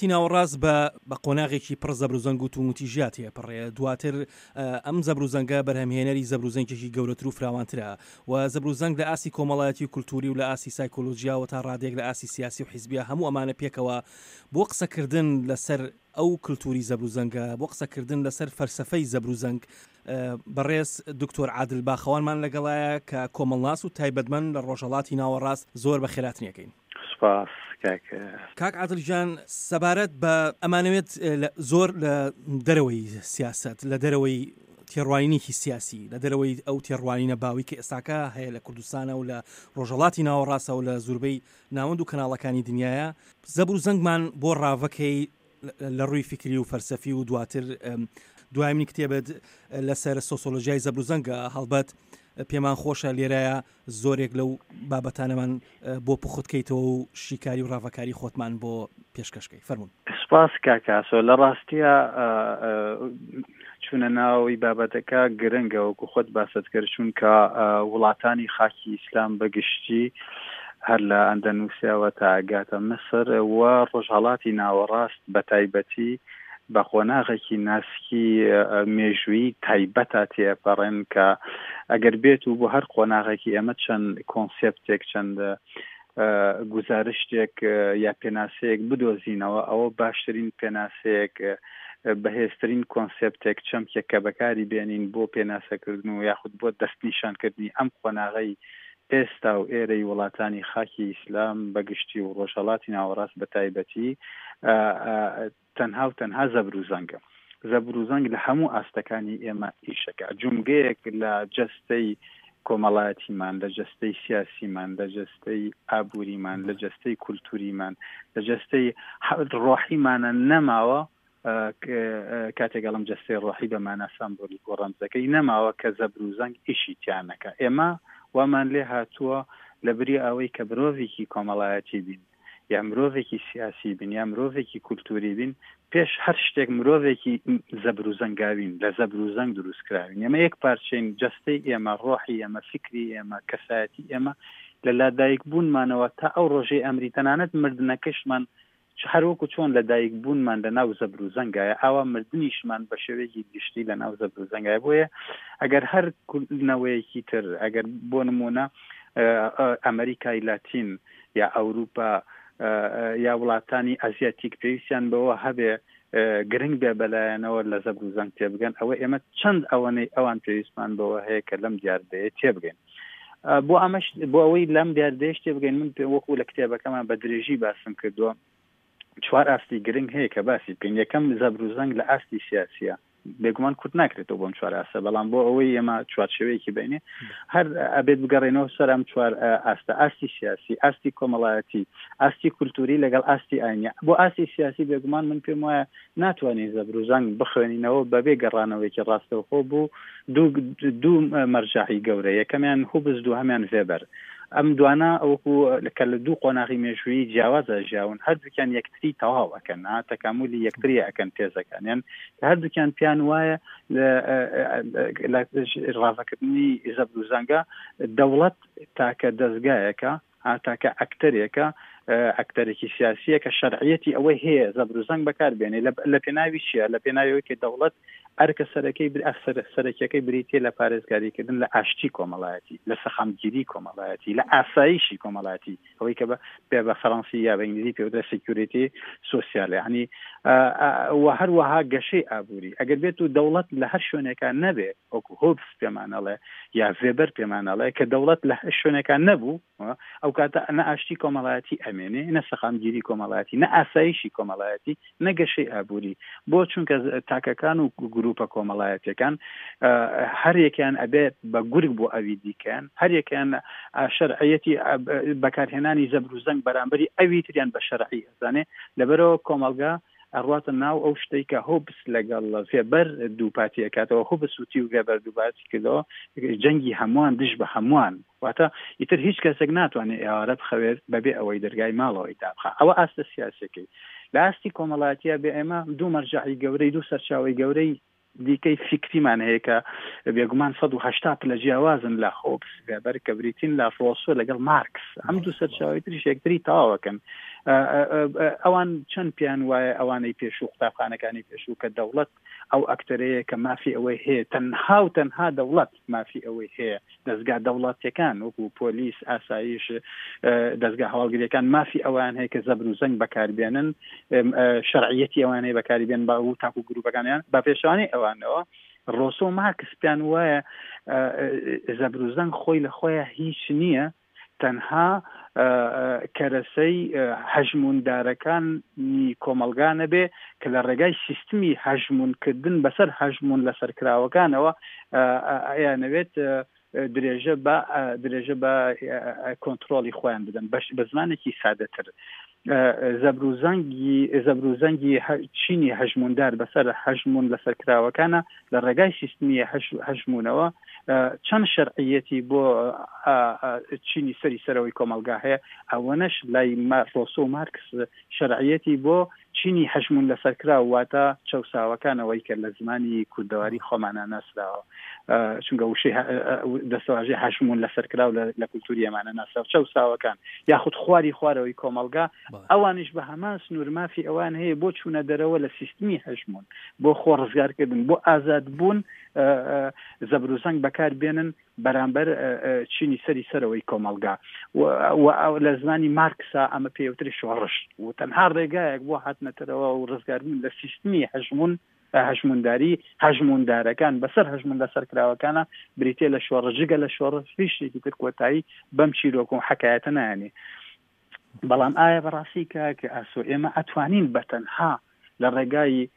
ڕۆژهەڵاتی ناوەڕاست بە بە قۆناغێکی پڕ زەبروزەنگ و توونوتیژیا تێپەڕێ، دواتر ئەم زەبروزەنگە بەرهەمهێنەری زەبروزەنگێکی گەورەتر و فراوانترە و زەبروزەنگ لە ئاستی کۆمەڵایەتی و کولتووری و لە ئاستی سایکۆلۆجیا و تا ڕادەیەک لە ئاستی سیاسی و حیزبیا هەموو ئەمانە پێکەوە بۆ قسەکردن لەسەر ئەو کلتوری زەبروزەنگە، بۆ قسەکردن لەسەر فەلسەفەی زەبروزەنگ، بەڕێز دکتۆر عادل باخەوانمان لەگەڵایە کە کۆمەڵناس و تایبەتمەند لە ڕۆژهەڵاتی ناوەڕاست، زۆر بەخێراتنی ئەکەین. سوپاس کاک. کاک عادل گیان سەبارەت بە ئەمانەوێت زۆر لە دەرەوەی سیاسەت، لە دەرەوەی تێڕوانینێکی سیاسی، لە دەرەوەی ئەو تێڕوانینە باوی کە ئێستاکە هەیە لە کوردستانە و لە ڕۆژهەڵاتی ناوەڕاستە و لە زوربەی ناوەند و کەناڵەکانی دنیایە زەبر و زەنگمان بۆ ڕاڤەکەی لە ڕووی فیکری و فەلسەفی و دواتر دوایمین کتێبت لەسەر سۆسۆلۆژیای زەبر و زەنگە هەڵبەت پێمان خۆشە لێرەیە زۆرێک لەو بابەتانەمان بۆ پوخت کەیتەوە و شیکاری و ڕاڤەکاری خۆتمان بۆ پێشکەشکەی فەرمونون. سپاس کاک ئاسۆ لە ڕاستیا چوونە ناوەوەی بابەتەکە گرنگە وەکو خۆت باست کرد چونکە وڵاتانی خاکی ئیسلام بە گشتی هەر لە ئەندەنوسیاوە تا ئەگاتە میسر و ڕۆژهەڵاتی ناوەڕاست بە تایبەتی بە قۆناغێکی ناسکی مێژوویی تایبەتا تێئەپەڕێن کە ئەگەر بێت و بۆ هەر قۆناغێکی ئێمە چەند کۆنسێپتێک چەند گوزارشتێک یا پێناسەیەک بدۆزینەوە ئەوە باشترین پێناسەیەک بەهێزترین کۆنسێپتێک چەمکێک کە بەکاری بێنین بۆ پێناسەکردن و یاخود بۆ دەستنیشانکردنی ئەم قۆناغەی ئێستا و ئێرەی وڵاتانی خاکی ئیسلام بە گشتی و ڕۆژهەڵاتی ناوەڕاست بە تایبەتی تەنها و تەنها زەبر و زەنگە. زەبر و زەنگ لە هەموو ئاستەکانی ئێمە ئیشەکا. جومگەیەک لە جەستەی کۆمەڵایەتیمان، لە جەستەی سیاسیمان، لە جەستەی ئابووریمان، لە جەستەی کولتووریمان، لە جەستەی ڕۆحیمانە نەماوە، کاتێک ئەڵێم جەستەی ڕۆحی بە مانا سامبۆلیک و ڕەمزەکەی نەماوە کە زەبر و زەنگ ئیشی تیا نەکا. ئێمە وامان لێ هاتووە لە بری ئەوەی کە مرۆڤێکی کۆمەڵایەتی بین، یا مرۆڤێکی سیاسی بین یا مرۆڤێکی کولتوری بین پێش هەر شتێک مرۆڤێکی زەبر و زەنگاوین لە زەبر و زەنگ دروست کراوین ئێمە یەک پارچەین جەستەی ئێمە ڕۆحی ئێمە فیکری ئێمە کەسایەتی ئێمە لە لادایک بوونمانەوە تا ئەو ڕۆژەی ئەمری تەنانەت مردنەکەشمان هەروەکو چۆن لە دایک بوونمان لە ناو زەبر و زەنگایە ئاوا مردنیشمان بە شێوەیەکی گشتی لە ناو زەبر و زەنگایە بۆیە ئەگەر هەر نەوەیەکی تر ئەگەر بۆ نمونە ئەمریکای لاتین یا ئەوروپا یا وڵاتانی ئەزیاتیک پێویستیان بەوە هەبێ گرنگ بێ بەلایەنەوە لە زەبر و زەنگ تێبگەن ئەوە ئێمە چەند ئەوەنەی ئەوان پێویستمان بەوە هەیە کە لەم دیاردەیە تێبگەین بۆ ئەمەش بۆ ئەوەی لەم دیاردەیەش تێبگەین من پێ وەکو لە کتێبەکەمان بە درێژی باسم کردووە چوار ئاستی گرنگ هەیە کە باسی بکەین یەکەم زەبر و زەنگ لە ئاستی سیاسیە بێگومان کورت ناکرێتەوە بۆم چوار ئاستە بەڵام بۆ ئەوەی ئێمە چوارچێوەیەکی بینێ هەر ئەبێت بگەڕێنەوە سەر ئەم چوار ئاستە ئاستی سیاسی ئاستی کۆمەڵایەتی ئاستی کولتوری لەگەڵ ئاستی ئاینی بۆ ئاستی سیاسی بێگومان من پێم وایە ناتوانین زەبر و زەنگ بخوێنینەوە بەبێ گەڕانەوەیەکی ڕاستەوخۆ بوو دوو دوو مەرجەعی گەورە یەکەمیان هوبز دووهەمیان ڤێبەر ئەم دوانە وەکو کە لە دوو قۆناغی مێژوویی جیاوازە ژیاون هەردووکیان یەکتری تەواو ئەکەن تەکاملی یەکتری ئەکەن تێزەکانیان کە هەردووکیان پیان وایە لە ڕاڤەکردنی زەبر و زەنگە دەوڵەت تاکە دەزگایەکە تاکە ئەکتەرێکە ئەکتەرێکی سیاسیە کە شەرعیەتی ئەوەی هەیە زەبر و زەنگ بەکار بێنێ لە پێناوی چیە لە پێناوی ئەوەی کە دەوڵەت ئەرکە سەرەکەی سەرەکیەکەی بریتیە لە پارێزگاریکردن لە ئاشتی کۆمەڵایەتی لە سەقامگیری کۆمەڵایەتی لە ئاسایشی کۆمەڵایەتی ئەوەی کە بە بە فەرەنسی یا بە ئینگلیزی پێ sécurité sociale یعنی و هەروەها گەشەی ئابووری ئەگەر بێت و دەوڵەت لە هەر شوێنێکا نەبێ وەکو هۆبس پێمان ئەڵێ یا ڤێبەر پێمان ئەڵێ کە دەوڵەت لە هەر شوێنێکا نەبوو ئەو کاتە نە ئاشتی کۆمەڵایەتی ئەمێنێ نە سەقامگیری کۆمەڵایەتی نە ئاسایشی کۆمەڵایەتی نە گەشەی ئابووری بۆ چونکە تاکەکان و گروپە کۆمەڵایەتەکان هەر یەکیان ئەبێت بە گورگ بۆ ئەوی دیکەیان هەر یەکیان شەرعیەتی بەکارهێنانی زەبر و زەنگ بەرامبەری ئەوی تریان بە شەرعی ئەزانێ لەبەرەوە کۆمەڵگا ئەڕواتە ناو ئەو شتەی کە هۆبس لەگەڵ ڤێبەر دووپاتی ئەکاتەوە، هۆبس وتی و ڤێبەر دووپاتی کردەوە، جەنگی هەمووان دژ بە هەمووان، واتە ئیتر هیچ کەسێک ناتوانێت ئێوارە بخەوێت بەبێ ئەوەی دەرگای ماڵەوەی دابخا. ئەوە ئاستە سیاسیەکەی. لە ئاستی کۆمەڵایەتییا بێ ئێمە دوو مەرجەعی گەورەی، دوو سەرچاوەی گەورەی دیکەی فیکریمان هەیە کە بێگومان 180 پلە جیاوازن لە هۆبس وێبەر کە بریتین لە ڕۆسۆ لەگەڵ مارکس ئەم دوو سەرچاوی تریش یەکتری تەواوەکەن. ئەوان چەند پێیان وایە ئەوانەی پێشوو قوتابخانەکانی پێشوو کە دەوڵەت ئەو ئەکتەرەیە کە مافی ئەوەی هەیە تەنها و تەنها دەوڵەت مافی ئەوەی هەیە دەزگا دەوڵەتیەکان وەکو پۆلیس ئاسایش دەزگا هەواڵگریەکان مافی ئەوان هەیە کە زەبر و زەنگ بەکاربێنن شەرعیەتی ئەوان هەیە بەکاری بێن بە و تاکو گروپەکانیان بە پێشوانی ئەوانەوە ڕۆسۆ مارکس پێیان وایە زەبر و زەنگ خۆی لە خۆیان هیچ نییە تەنها کەرەسەی هەژمووندارەکانی کۆمەڵگا نەبێ کە لە ڕێگای سیستمی هەژموونکردن بەسەر هەژموون لەسەرکراوەکانەوە ئەیانەوێت درێژە بە درێژە بە کۆنتترۆلی خۆیان بدەن بەش بە زمانێکی سادەتر زەبروزەنگی زەبروزەنگی چینی هەژموندار بەسەر هەژمون لەسەرکراوەکانە لە ڕێگای سیستمی هەژمونەوە چەند شەرعیەتی بۆ چینی سەری سەرەوەی کۆمەڵگا هەیە ئەوەنەش لای ڕۆسۆ و مارکس شەرعیەتی بۆ چینی هەژمون لەسەرکراو واتە چەوساوەکانەوەی کە لە زمانی کوردەواری خۆمانە ناسراوە چونکە وشەی دەستەواژەی هەژموون لەسەرکراو لە کولتوری ئەمانە ناسراو چەوساوەکان یاخود خواری خوارەوەی کۆمەڵگا ئەوانیش بە هەمان سنوور مافی ئەوان هەیە بۆ چوونە دەرەوە لە سیستمی هەژموون بۆ خۆ ڕزگارکردن بۆ ئازادبوون زەبروزەنگ بەکار بێنن بەرامبەر چینی سەری سەرەوەی کۆمەڵگا و لە زمانی مارکسا ئەمە پێوتری شۆڕش و تەنها ڕێگایەک بۆ هاتنەتەرەوە و ڕزگاربوون لە سیستمی هەژموون هەژمونداری هەژموندارەکان بەسەر هەژمون لەسەرکراوەکانە بریتە لە شۆڕش جگە لە شۆڕش هیچ شتێکی تر کۆتایی بەم چیرۆک و حکایەتە نایەنێ بەڵام ئایا بەڕاستی کاک ئاسۆ ئێمە ئەتوانین بە تەنها لە ڕێگای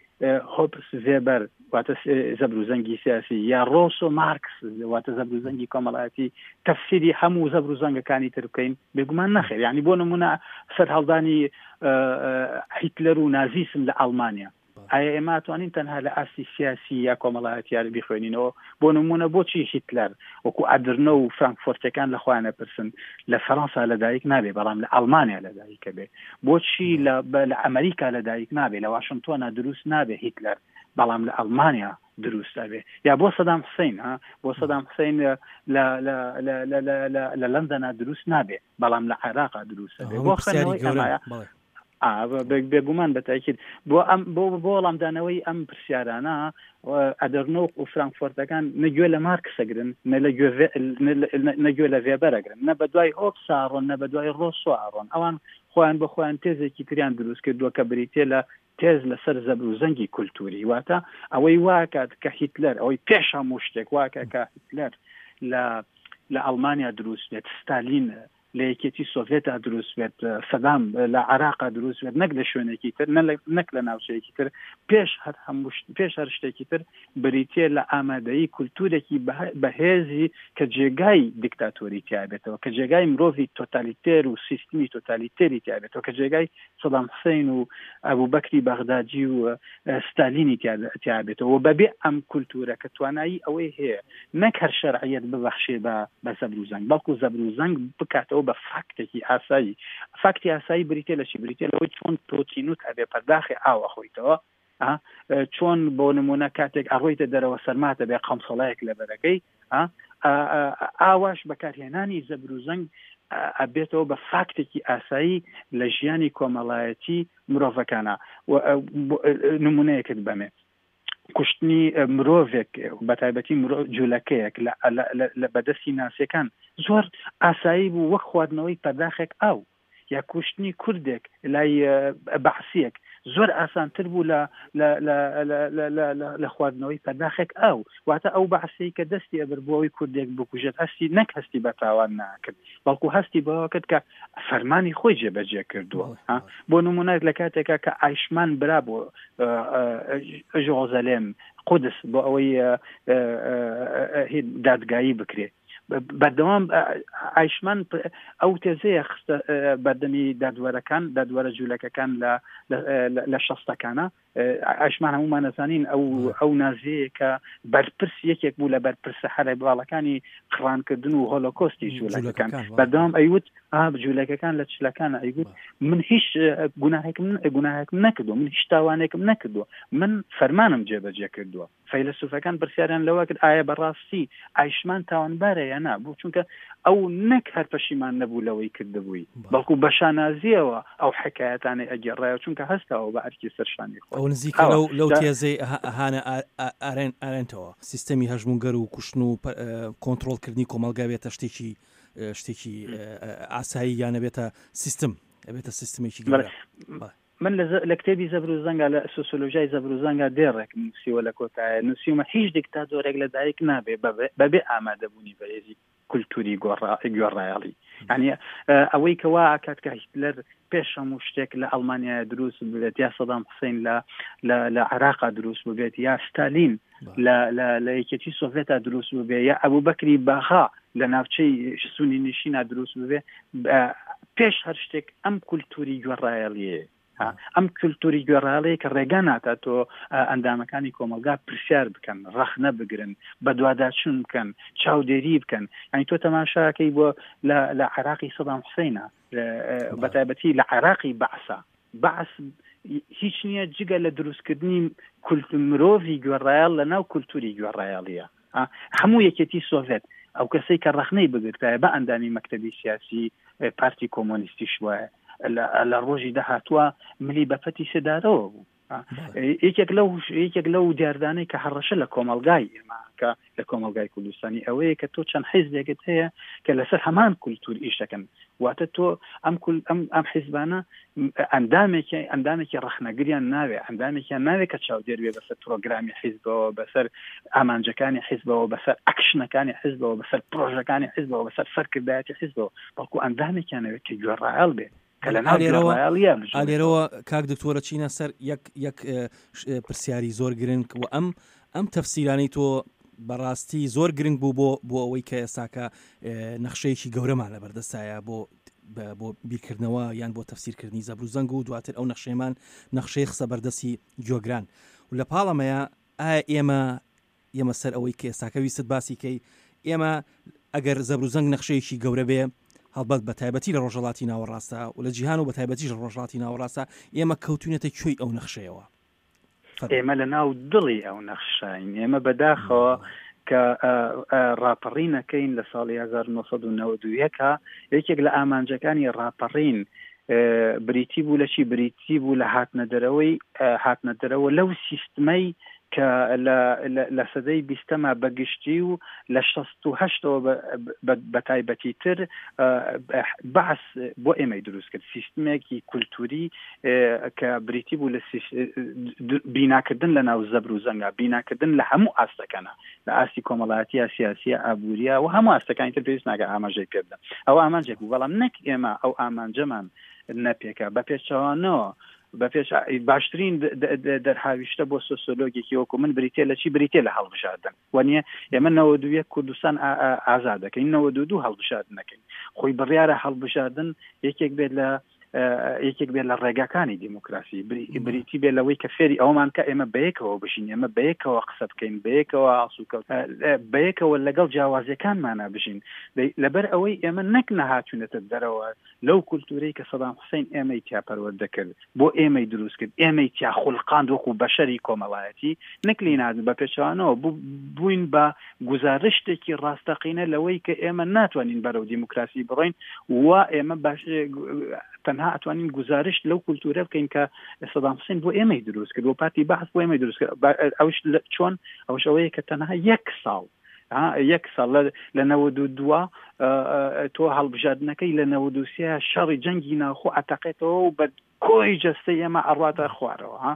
هۆپس ڤێبەر واتە زەبر و زەنگی سیاسی یا ڕۆسۆ مارکس واتە زەبر و زەنگی کۆمەڵایەتی تەفسیری هەموو زەبر و زەنگەکانی تر بکەین بێگومان نەخێر یعنی بۆ نمونە سەرهەڵدانی هیتلەر و نازیسم لە ئەڵمانیا ئایا ئێمە ئەتوانین تەنها لە ئاستی سیاسی یا کۆمەڵایەتیار بیخوێنینەوە؟ بۆ نموونە بۆچی هیتلەر وەکو ئەدرنۆ و فرانکفۆرتەکان لە خۆیان ئەپرسن لە فەرەنسا لەدایک نابێ بەڵام لە ئەڵمانیا لەدایک ئەبێ؟ بۆچی لە لە ئەمریکا لەدایک نابێ لە واشنتۆنا دروست نابێ هیتلەر بەڵام لە ئەڵمانیا دروست ئەبێ؟ یا بۆ سەدام حسین ها بۆ سەدام حسین لە لە لە لە لە لە لە لەندەنا دروست نابێ بەڵام لە عێراقا دروست ئەبێ؟ بۆ خوێندنەوەی ئەمایە بێگومان بە تاکید بۆ ئەم بۆ بۆ وەڵامدانەوەی ئەم پرسیارانە ئەدەرنۆ و فرانکفۆرتەکان نە گوێ لە مارکسەگرن نە لە گوێ نە گوێ لە ڤێبەرەگرن نە بە دوای هۆپسا ڕۆن نە بە دوای ڕۆسۆ ئەڕۆن ئەوان خۆیان بە خۆیان تێزێکی تریان دروست کردووە کە بریتە لە تێز لەسەر زەبر و زەنگی کولتوری واتە ئەوەی واکات کە هیتلەر ئەوەی پێش هەموو شتێک واکە کە هیتلەر لە لە ئەڵمانیا دروست بێت ستالین لە یەکێتی سۆڤێتا دروست بێت، سەدام لە عێراقا دروست بێت، نەک لە شوێنێکی تر، نەک لە ناوچەیەکی تر، پێش هەر هەموو پێش هەر شتێکی تر بریتییە لە ئامادەیی کولتوورێکی بەهێزی کە جێگای دیکتاتۆری تیا بێتەوە، کە جێگای مرۆڤی تۆتالیتێر و سیستمی تۆتالیتێری تیا بێتەوە، کە جێگای سەدام حسین و ئەبوبەکری بەغدادی و ستالینی تیا بێتەوە و بەبێ ئەم کولتوورە کە توانایی ئەوەی هەیە نەک هەر شەرعیەت ببەخشێ بە بە زەبر و زەنگ بەڵکو زەبر و زەنگ بکاتەوە بە فاکتێکی ئاسایی فاکتی ئاسایی بریتە لە چی بریتە لەوەی چۆن تۆ تینوت ئەبێ پەرداخی ئاو ئەخۆیتەوە چۆن بۆ نمونە کاتێک ئەڕۆیتە دەرەوە سەرماتە بێ قەمسەڵەیەک لەبەرەکەی ئاواش بەکارهێنانی زەبر و زەنگ ئەبێتەوە بە فاکتێکی ئاسایی لە ژیانی کۆمەڵایەتی مرۆڤەکانە نمونەیەکت بەمێ کوشتنی مرۆڤێک بە تایبەتی جوولەکەیەک لە بەدەستی ناسیەکان زۆر ئاسایی بوو وەک خواردنەوەی پەرداخێک ئاو یا کوشتنی کوردێک لای بەعسیەک زۆر ئاسانتر بوو لە لە خواردنەوەی پەرداخێک ئاو واتە ئەو بەعسی کە دەستی ئەبر بۆ ئەوی کوردێک بکوژێت هەستی نەک هەستی بە تاوان ناکرد بەڵکو هەستی بەوە کرد کە فەرمانی خۆی جێبەجێ کردووە بۆ نمونە لە کاتێکا کە ئایشمان برا بۆ ژۆزەلێم قودس بۆ ئەوەی دادگایی بکرێت بەردەوام ئایشمان ئەو تێزەیە خستە بەردەمی دادوەرەکان دادوەرە جوولەکەکان لە لە شەستەکانە ئایشمان هەمومان نەزانین ئەو ئەو نازیەیە کە بەرپرس یەکێک بوو لە بەرپرسە هەرە باڵەکانی قڕانکردن و هۆلۆکۆستی جوولەکەکان بەردەوام ئەیوت جوولەکەکان لە چلەکان ئەیگوت من هیچ گوناهێکم گوناهێکم نەکردو من هیچ تاوانێکم نەکردووە من فەرمانم جێبەجێ کردووە. فەیلەسوفەکان پرسیاریان لەوە کرد ئایا بەڕاستی ئایشمان تاوانبارە یا نا بۆ چونکە ئەو نەک هەر پەشیمان نەبوو لەوەی کردبووی بەڵکو بە شانازیەوە ئەو حکایەتانەی ئەگێڕایەوە چونکە هەستاوە بە ئەرکی سەرشانی خۆی ئەو نزیکە لەو لەو تێزەی هانە ئارێن ئارێنتەوە سیستەمی هەژمونگەر و کوشتن و کۆنتڕۆڵکردنی کۆمەڵگا بێتە شتێکی شتێکی ئاسایی یانە بێتە سیستم ئەبێتە سیستمێکی گەورە. من لە کتێبی زەبر و زەنگا لە سۆسیۆلۆژیای زەبر و زەنگا دێڕێکم نووسیوە لە کۆتایە نووسیومە هیچ دیکتاتۆرێک لە دایک نابێ بەبێ ئامادەبوونی بەهێزی کولتوری گۆڕایەڵی یعنی ئەوەی کە وا ئەکات کە هیتلەر پێش هەموو شتێک لە ئەڵمانیا دروست ببێت یا سەدام حوسین لە لە عێراقا دروست ببێت یا ستالین لە لە یەکێتی سۆڤێتا دروست ببێ یا ئەبوبەکری باغا لە ناوچەی سونی نشینا دروست ببێ پێش هەر شتێک ئەم کولتوری گوێڕایەڵیە ئەم کولتوری گوێڕایەڵیە کە ڕێگا ناتا تۆ ئەندامەکانی کۆمەلگا پرسیار بکەن ڕەخنە بگرن بەدواداچون بکەن چاودێری بکەن یعنی تۆ تەماشاکەی بۆ لە عراقی سەدام حوسینە بەتایبەتی لە عێراقی بەعسا بەعس هیچ نییە جگە لە دروستکردنی کولت مرۆڤی گوێڕایەڵ لە ناو کولتوری گوێڕایەڵیە هەموو یەکێتی سۆڤێت ئەو کەسەی کە ڕەخنەی بگرتایە بە ئەندامی مەکتەبی سیاسی پارتی کۆمۆنیستیش وایە لە ڕۆژی داهاتووە ملی بە پەتی سێدارەوە بوو یەکێک لەو یەکێک لەو دیاردانەی کە هەڕەشە لە کۆمەلگای ئێمە کە لە کۆمەلگای کوردستانی ئەوەیە کە تۆ چەند حیزبێکت هەیە کە لەسەر هەمان کولتور ئیش دەکەن واتە تۆ ئەم کول ئەم ئەم حیزبانە ئەندامێکی ئەندامێکی ڕەخنەگریان ناوێ ئەندامێکیان ناوێ کە چاودێر بێ بەسەر پرۆگرامی حیزبەوە بەسەر ئامانجەکانی حیزبەوە بەسەر ئەکشنەکانی حیزبەوە بەسەر پرۆژەکانی حیزبەوە بەسەر سەرکردایەتی حیزبەوە بەڵکو ئەندامێکیانەوێت کە گوێڕایەڵ بێ کە لە ناو گوێڕایەڵییە بژێنێتەوە. لێرەوە کاک دکتۆرە چینە سەر یەک یەک پرسیاری زۆر گرنگ و ئەم ئەم تەفسیرانەی تۆ بەڕاستی زۆر گرنگ بوو بۆ بۆ ئەوەی کە ئێستاکە نەخشەیەکی گەورەمان لە بەردەستایە بۆ بۆ بیرکردنەوە یان بۆ تەفسیرکردنی زەبر و زەنگ و دواتر ئەو نەخشەیەمان نەخشەی خسە بەردەستی گوێگران و لە پاڵەمەیە ئایا ئێمە ئێمە سەر ئەوەی کە ئێستاکە ویستت باسی کەی ئێمە ئەگەر زەبروزەنگ نەخشەیەکی گەورە بێ هەڵبەت بە تایبەتی لە ڕۆژهەڵاتی ناوەڕاستە و لە جیهان و بە تایبەتیش لە ڕۆژهەڵاتی ناوەڕاستە ئێمە کەوتوینەتە کوێی ئەو نەخشەیەوە؟ ئێمە لە ناو دڵی ئەو نەخشین ئێمە بەداخەوە کە ڕاپەڕینەکەین لە ساڵی 1991 یەکێک لە ئامانجەکانی ڕاپەڕین بریتی بوو لە چی بریتی بوو لە هاتنە دەرەوەی هاتنە دەرەوە لەو سیستمەی کە لە سەدەی بیستەما بە گشتی و لە 68ەوە بە تایبەتی تر بەعس بۆ ئێمەی دروست کرد سیستمێکی کولتوری کە بریتی بوو لە بیناکردن لە ناو زەبر و زەنگا بیناکردن لە هەموو ئاستەکەنە لە ئاستی کۆمەڵایەتیە سیاسیە ئابووریە و هەموو ئاستەکانی تر پێویست ناکە ئاماژەی پێ بدەم ئەو ئامانجێک بوو بەڵام نەک ئێمە ئەو ئامانجەمان نەپێکا بە پێچەوانەوە بە پێش باشترین دەرهاویشتە بۆ سۆسیۆلۆگێکی وەکو من بریتە لە چی بریتە لە هەڵبژاردن وانە ئێمە 91 کوردستان ئازاد دەکەین 92 هەڵبژاردن دەکەین خۆی بڕیارە هەڵبژاردن یەکێک بێت لە یەکێک بێت لە ڕێگاکانی دیموکراسی بریتی بێت لەوەی کە فێری ئەومان کە ئێمە بەیەکەوە بژین ئێمە بەیەکەوە قسە بکەین بەیەکەوە ئاسوکەوت بەیەکەوە لەگەڵ جیاوازیەکانمانە بژین لەبەر ئەوەی ئێمە نەک نەهاتوونەتە دەرەوە لەو کولتوورەی کە سەدام حوسەین ئێمەی تیا پەروەردە کرد، بۆ ئێمەی دروست کرد، ئێمەی تیا خولقاند وەکوو بەشەری کۆمەڵایەتی، نەک لێی نهاتین، بە پێچەوانەوە بووین بە گوزارشتێکی ڕاستەقینە لەوەی کە ئێمە ناتوانین بەرەو دیموکراسی بڕۆین و ئێمە باش تەنها ئەتوانین گوزارشت لەو کولتوورە بکەین کە سەدام حوسێن بۆ ئێمەی دروست کرد، بۆ پارتی بەعس بۆ ئێمەی دروست کرد. ئەوش چۆن؟ ئەوش ئەوەیە کە تەنها یەک ساڵ یەک ساڵ لە 92 تۆ هەڵبژاردنەکەی لە 93 شەڕی جەنگی ناوخۆ ئەتەقێتەوە و بە کۆی جەستە ئێمە ئەڕواتە خوارەوە ها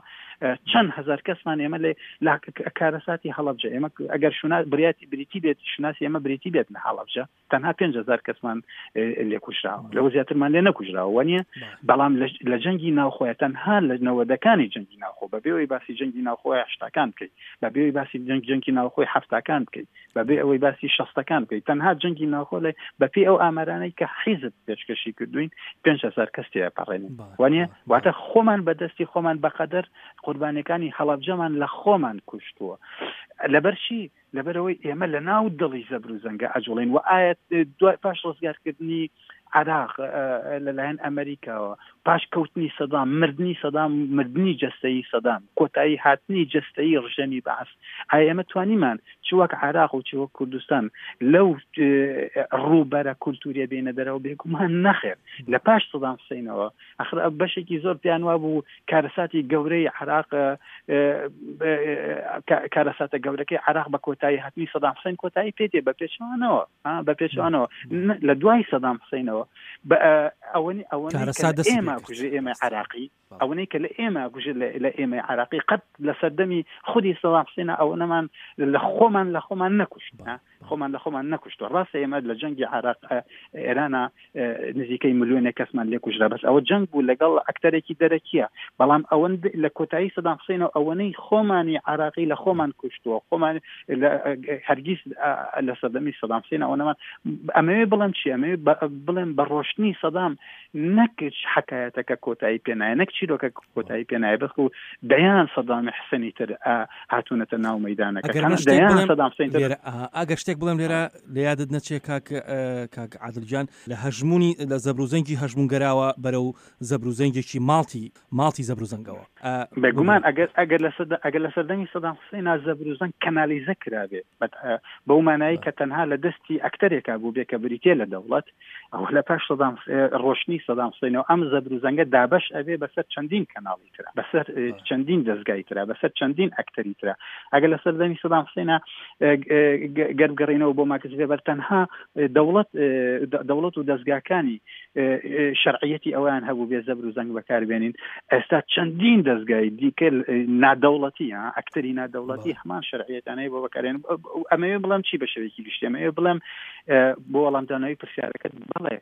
چەند هزار کەسمان ئێمە لە کارەساتی هەڵەبجە ئێمە ئەگەر شونا بریاتی بریتی بێت شوناسی ئێمە بریتی بێت لە هەڵەبجە تەنها 5000 کەسمان لێکوژراوە لەوە زیاترمان لێ نەکوژراوە وانە بەڵام لە جەنگی ناوخۆیە تەنها لە نەوەدەکانی جەنگی ناوخۆ بەبێ ئەوەی باسی جەنگی ناوخۆی هەشتاکان بکەیت بەبێ ئەوەی باسی جەنگ جەنگی ناوخۆی حەفتاکان بکەیت بەبێ ئەوەی باسی شەستەکان بکەیت تەنها جەنگی ناوخۆ لە بەپێی ئەو ئامارانەی کە حیزب پێشکەشی کردوین 5000 کەس تێپەڕێنن وانە واتە خۆمان بەدەستی خۆمان بەقەدەر قوربانیەکانی هەڵەبجەمان لە خۆمان کوشتووە لەبەر چی لەبەرئەوەی ئێمە لە ناو دڵی زەبر و زەنگە ئەجوڵێین و ئایا دوای پاش ڕزگارکردنی عێراق لەلایەن ئەمریکاوە، پاش کەوتنی سەدام، مردنی سەدام، مردنی جەستەیی سەدام، کۆتایی هاتنی جەستەیی ڕژێمی بەعس، ئایا ئێمە توانیمان چ وەک عێراق و چ وەک کوردستان لەو ڕووبەرە کولتوریە بێنە دەرەوە؟ بێگومان نەخێر. لە پاش سەدام حسینەوە ئەخر بەشێکی زۆر پێیان وابوو کارەساتی گەورەی عێراق کارەساتە گەورەکەی عێراق بە کۆتایی هاتنی سەدام حسین کۆتایی پێ دێ، بە پێچەوانەوە بە پێچەوانەوە لە دوای سەدام حسینەوە ئەوەنی ئەوە ئێمە کوژێ ئێمە عراقی ئەوەی کە لە ئێمە کوژێ لە ئێمە عراقی قەت لە سەردەمی خودی سەدام حسینە ئەوە نەمان لە خۆمان لە خۆمان نەکوشت خۆمان لە خۆمان نەکوشتوە ڕاستە ئێمە لە جەنگی عراق ئێرانە نزیکەی ملیۆنێک کەسمان لێ کوژرا بەس ئەوە جەنگ بوو لەگەڵ ئەکتەرێکی دەرەکیە بەڵام ئەوەند لە کۆتایی سەدام حسینەوە ئەوەنەی خۆمانی عراقی لە خۆمان کوشتووە خۆمان هەرگیز لە سەردەمی سەدام حسین ئەوەنەمان ئەمەوێ بڵێم چی ئەمەوێ بڵێم بە ڕۆشتنی سەدام نەک حکایەتەکە کۆتایی پێنایە نەک چیرۆکە کۆتایی پێنایە بەڵکو دەیان سەدامی حسێنی تر هاتوونەتە ناو مەدانەکە سەدام حسێن ئەگەر شتێک بڵێم لێرە لە یادت نەچێ کاک کاک عادل گیان لە هەژموونی لە زەبروزەنگی هەژموونگەراوە بەرەو زەبروزەنگێکی ماڵتی ماڵتی زەبروزەنگەوە. بێگومان ئەگەر ئەگەر لە سەد ئەگەر لە سەردەمی سەدام حوسەینا زەبروزەنگ کەنالیزە کرابێ بەو مانایی کە تەنها لە دەستی ئەکتەرێکا بووبێ کە بریتیە لە دەوڵەت ئەوە لە پاش سەدام ڕۆشتنی سەدام حوسەینەوە ئەم زەبروزەنگە دابەش ئەبێ بەسەر چەندین کەناڵی ترا بەسەر چەندین دەزگای ترا بەسەر چەندین ئەکتەری ترا ئەگەر لە سەردەمی سەدام حوسەینا گەر بگەڕینەوە بۆ ماکس ڤێبەر تەنها دەوڵەت دەوڵەت و دەزگاکانی شەرعیەتی ئەویان هەبوو بێ زەبر و زەنگ بەکاربێنین ئێستا چەندین دەزگای دیکە نادەوڵەتی ئەکتەری نادەوڵەتی هەمان شەرعیەتانەی بۆ بەکارێن ئەمەوێ بڵێم چی بە شێوەیەکی گشتی ئەمەوێ بڵێم بۆ وەڵامدانەوەی پرسیارەکەت بەڵێ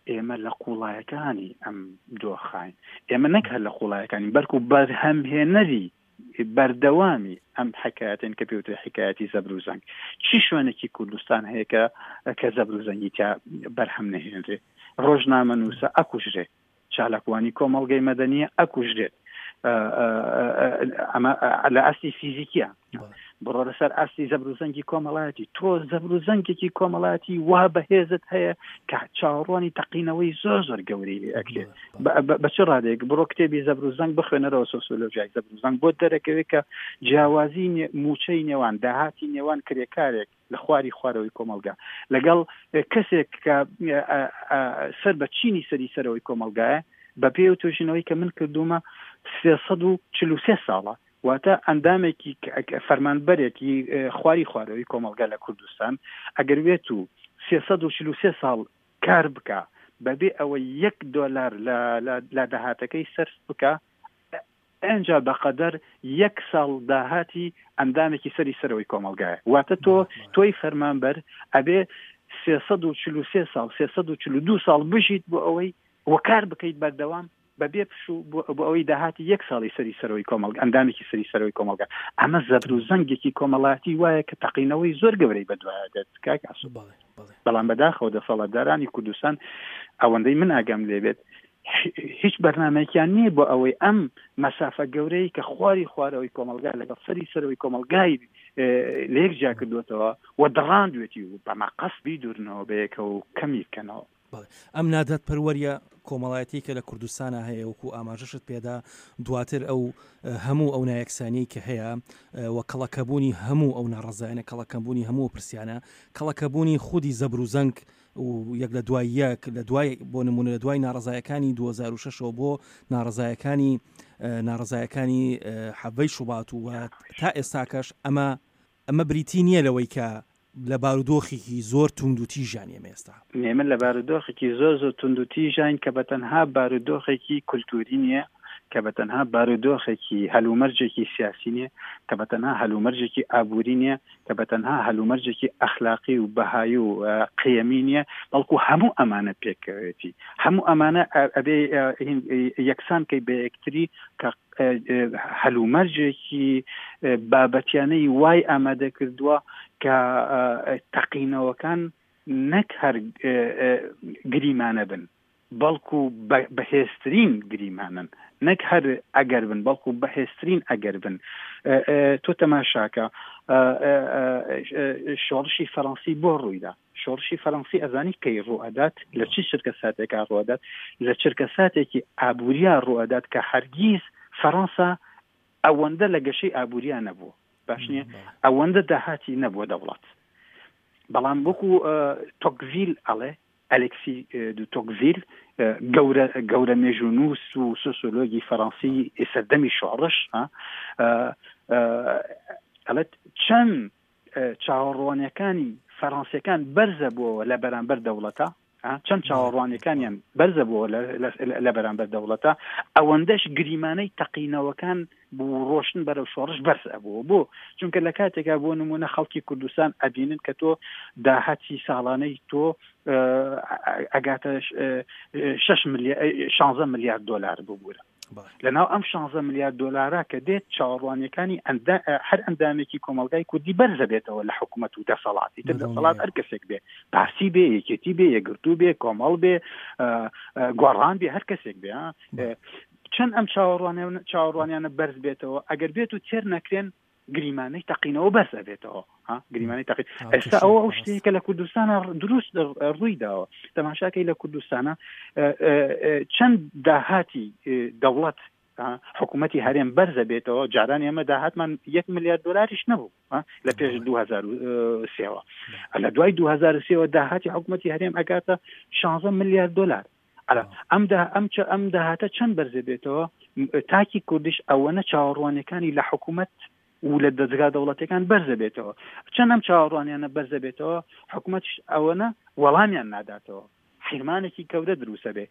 ئێمە لە قوڵایەکانی ئەم دۆخین ئێمە نەک هەر لە قوڵایەکانی بەرکو بەرهەمهێنەری بەردەوامی ئەم حکایەتەین کە پێوترێ حکایەتی زەبر و زەنگ. چی شوێنێکی کوردستان هەیە کە کە زەبر و زەنگی تیا بەرهەم نەهێنرێ؟ ڕۆژنامەنووسە ئەکوژرێ، چالاکوانی کۆمەڵگەی مەدەنییە ئەکوژرێت. ئەمە لە ئاستی فیزیکیە. بڕۆ لەسەر ئاستی زەبر و زەنگی کۆمەڵایەتی تۆ زەبر و زەنگێکی کۆمەڵایەتی وا بەهێزت هەیە کە چاوەڕوانی تەقینەوەی زۆر زۆر گەورەی لێ ئەکرێت بە چ ڕادەیەک بڕۆ کتێبی زەبر و زەنگ بخوێنەرەوە سۆسیۆلۆژیای زەبر و زەنگ بۆ دەرەکەوێت کە جیاوازی موچەی نێوان داهاتی نێوان کرێکارێک لە خواری خوارەوەی کۆمەڵگا لەگەڵ کەسێک کە سەر بە چینی سەری سەرەوەی کۆمەڵگایە بە پێی و توێژینەوەی کە من کردوومە 343 ساڵە واتە ئەندامێکی فەرمانبەرێکی خواری خوارەوەی کۆمەڵگا لە کوردستان ئەگەر وێت و 343 ساڵ کار بکا بەبێ ئەوەی یەک دۆلار لە داهاتەکەی سەرف بکا ئەنجا بەقەدەر یەک ساڵ داهاتی ئەندامێکی سەری سەرەوەی کۆمەڵگایە واتە تۆ تۆی فەرمانبەر ئەبێ 343 ساڵ 342 ساڵ بژیت بۆ ئەوەی وەکار بکەیت بەردەوام بەبێ پشوو بۆ بۆ ئەوەی داهاتی یەک ساڵی سەری سەرەوەی کۆمەڵگە ئەندامێکی سەری سەرەوەی کۆمەڵگە ئەمە زەبر و زەنگێکی کۆمەڵایەتی وایە کە تەقینەوەی زۆر گەورەی بەدوایە دێت کاک ئاسۆ بەڵێ بەڵێ بەڵام بەداخەوە دەسەڵاتدارانی کوردستان ئەوەندەی من ئاگام لێبێت هیچ بەرنمەیەکیان نییە بۆ ئەوەی ئەم مەسافە گەورەی کە خواری خوارەوەی کۆمەلگا لەگەڵ سەری سەرەوەی کۆمەلگای لەیەک جیا کردوێتەوە و دڕاندوێتی و بەمە قەسبی دوورنەوە بەیەکەوە و کەمی بکەنەوە. بەڵێ ئەم نادادپەروەریە کۆمەڵایەتی کە لە کوردستانا هەیە وەکو ئاماژەشت پێدا دواتر ئەو هەموو ئەو نایەکسانیەی کە هەیە و کەڵەکەبوونی هەموو ئەو ناڕەزایانە کەڵەکەبوونی هەموو پرسیانە کەڵەکەبوونی خودی زەبر و زەنگ و یەک لە دوای یەک لە دوای بۆ نمونە لە دوای ناڕزایەکانی 2006ەوە بۆ ناڕزایەکانی ناڕزایەکانی حەڤەی شوبات و تا ئێستاکەش ئەمە ئەمە بریتی نییە لەوەی کە لە بارودۆخێکی زۆر توندوتیژان ئێمە ئێستا. ئێمە لە بارودۆخێکی زۆر زۆر توندوتیژاین کە بە تەنها بارودۆخێکی کولتووری نییە، کە بە تەنها بارودۆخێکی هەلومەرجێکی سیاسی نییە، کە بە تەنها هەلومەرجێکی ئابووری نییە، کە بە تەنها هەلومەرجێکی ئەخلاقی و بەهایی و قیەمی نییە، بەڵکو هەموو ئەمانە پێکەوەیەتی. هەموو ئەمانە ئەبێ یەکسان کەی بە یەکتری کە هەلومەرجێکی بابەتیانەی وای ئامادە کردووە کە تەقینەوەکان نەک هەر گریمانە بن بەڵکو بەهێزترین گریمانن. نەک هەر ئەگەر بن بەڵکو بەهێزترین ئەگەر بن. تۆ تەماشاکە شۆڕشی فەرەنسی بۆ ڕوویدا؟ شۆڕشی فەرەنسی ئەزانی کەی ڕووئەدات؟ لە چ چرکە ساتێکا ڕووئەدات؟ لە چرکە ساتێکی ئابووریا ڕووئەدات کە هەرگیز فەرەنسا ئەوەندە لە گەشەی ئابووریا نەبووە. باش نییە؟ ئەوەندە داهاتی نەبووە دەوڵەت. بەڵام وەکو تۆکڤیل ئەڵێ ئەلێکسی دو تۆکڤیل گەورە گەورە مێژوونووس و سۆسیۆلۆگی فەرەنسی سەردەمی شۆڕش ئەڵێت چەند چاوەڕوانیەکانی فەرەنسیەکان بەرزە بووەوە لە بەرامبەر دەوڵەتە چەند چاوەڕوانیەکانیان بەرزە بووە لە بەرامبەر دەوڵەتە ئەوەندەش گریمانەی تەقینەوەکان بوو ڕۆشتن بەرەو شۆڕش بەرز ئەبووە بۆ چونکە لە کاتێکا بۆ نمونە خەڵکی کوردستان ئەبینن کە تۆ داهاتی ساڵانەی تۆ ئەگاتە 16 ملیار دلار ببوورە لەناو ئەم 16 ملیار دلارە کە دێت چاوەڕوانیەکانی هەر ئەندامێکی کۆمەلگای کوردی بەرزە بێتەوە لە حکوومەت و دەسەڵاتی تر دەسەڵات هەر کەسێک بێ پارتی بێ یەکێتی بێ یەکگرتوو بێ کۆمەڵ بێ گۆڕان بێ هەر کەسێک بێ چەند ئەم چاوەڕوانیانە بەرز بێتەوە ئەگەر بێت و تێر نەکرێن گریمانەی تەقینەوە بەرز ئەبێتەوە گریمانەی تەقی ئێستا ئەوە ئەو شتەیە کە لە کوردستانە دروست ڕووی داوە تەماشاکەی لە کوردستانە چەند داهاتی دەوڵەت حکوومەتی هەرێم بەرزە بێتەوە جاران ئێمە داهاتمان یەک میلیارد دلاریش نەبوو لە پێش 2023ەوە لە دوای 2023ەوە داهاتی حکوومەتی هەرێم ئەگاتە 16 میلیارد دلار ئەرا ئەم دا ئەم چ ئەم داهاتە چەند بەرزە بێتەوە تاکی کوردیش ئەوەنە چاوەڕوانیەکانی لە حکوومەت و لە دەزگا دەوڵەتەکان بەرزە بێتەوە چەند ئەم چاوەڕوانیانە بەرزە بێتەوە حکوومەتش ئەوەنە وەڵامیان ناداتەوە حیرمانێکی گەورە دروستە بێ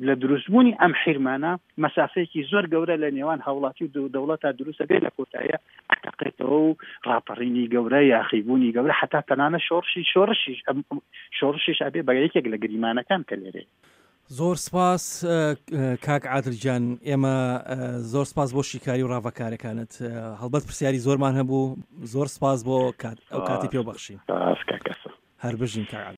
لە دروستبوونی ئەم حیرمانە مەسافەیەکی زۆر گەورە لە نێوان هاوڵاتی و دەوڵەتا دروستە بێ لە کۆتاییە ئەتەقێتەوە و ڕاپەڕینی گەورە یاخیبوونی گەورە حتا تەنانە شۆڕشی شۆڕشیش شۆڕشیش ئەبێ بە یەکێک لە گریمانەکان کە لێرەیە. زۆر سپاس کاک عادل گیان ئێمە زۆر سپاس بۆ شیکاری و ڕاڤەکارەکانت هەڵبەت پرسیاری زۆرمان هەبوو زۆر سپاس بۆ کات ئەو کاتی پێ بەخشین سپاس کاک ئەسا. هەر بژین کاک عادل.